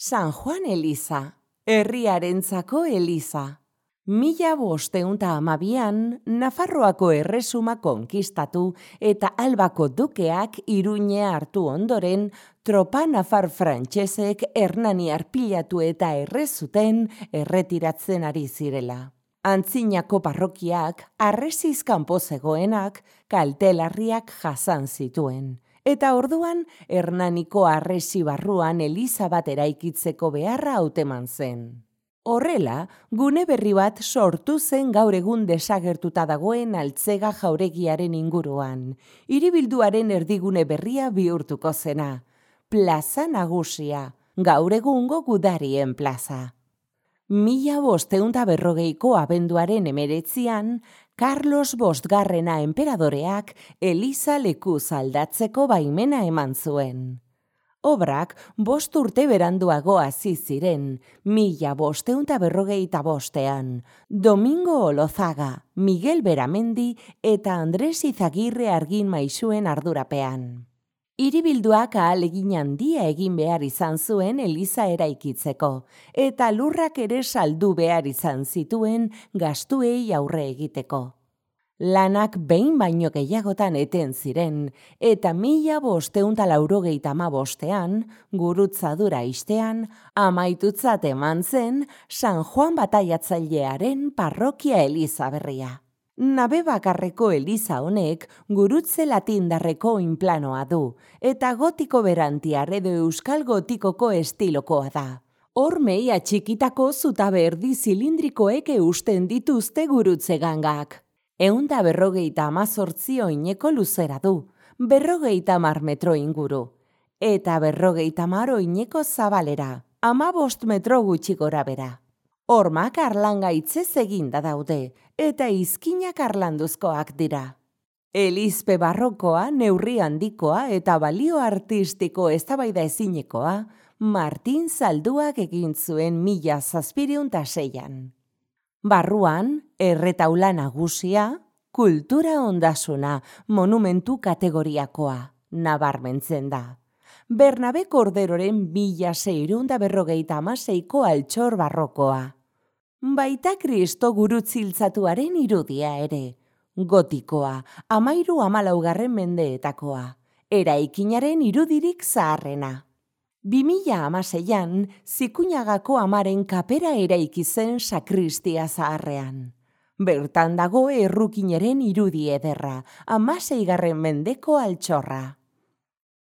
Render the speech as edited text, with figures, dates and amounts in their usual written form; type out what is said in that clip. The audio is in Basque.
San Juan Eliza, herriarentzako eliza. 1512an Nafarroako erresuma konkistatu eta Albako dukeak Iruña hartu ondoren, tropa nafar frantsesek Hernaniar pilatu eta errezuten erretiratzen ari zirela. Antzinako parrokiak, harresiz kanpo zegoenak, kaltelarriak jasan zituen. Eta orduan, Hernaniko harresi barruan eliza bat eraikitzeko beharra hauteman zen. Horrela, gune berri bat sortu zen gaur egun desagertuta dagoen Altzega jauregiaren inguruan. Hiribilduaren erdigune berria bihurtuko zena. Plaza Nagusia, gaur egungo Gudarien plaza. 1540ko abenduaren 19an, Carlos Bostgarrena enperadoreak eliza lekuz aldatzeko baimena eman zuen. Obrak 5 urte beranduago hasi ziren, 1555ean, Domingo Olozaga, Miguel Beramendi eta Andres Izagirre argin maisuen ardurapean. Hiribilduak ahalegin handia egin behar izan zuen eliza eraikitzeko, eta lurrak ere saldu behar izan zituen gastuei aurre egiteko. Lanak behin baino gehiagotan eten ziren, eta 1585ean, gurutzadura istean, amaitutzat eman zen San Juan Bataiatzailearen parrokia eliza berria. Nabe bakarreko eliza honek gurutze latindarreko oinplanoa du, eta gotiko berantiar edo euskal gotikoko estilokoa da. Hormei atxikitako zutabe erdi zilindrikoek eusten dituzte gurutze gangak. 158 oineko luzera du, 50 metro inguru, eta 50 oineko zabalera, 15 metro gutxi gora bera. Hormak arlangaitzez eginda daude, eta izkinak arlanduzkoak dira. Elizpe barrokoa, neurri handikoa eta balio artistiko eztabaida ezinekoa, Martin Zalduak egin zuen 1706an. Barruan, erretaula nagusia, kultura ondasuna, monumentu kategoriakoa, nabarmentzen da. Bernabe Korderoren 1656ko altxor barrokoa. Baita Kristo gurutziltzatuaren irudia ere, gotikoa, 13–14 mendeetakoa, eraikinaren irudirik zaharrena. 2016an, Zikuñagako amaren kapera eraiki zen sakristia zaharrean. Bertan dago errukinaren irudi ederra, 16. mendeko altxorra.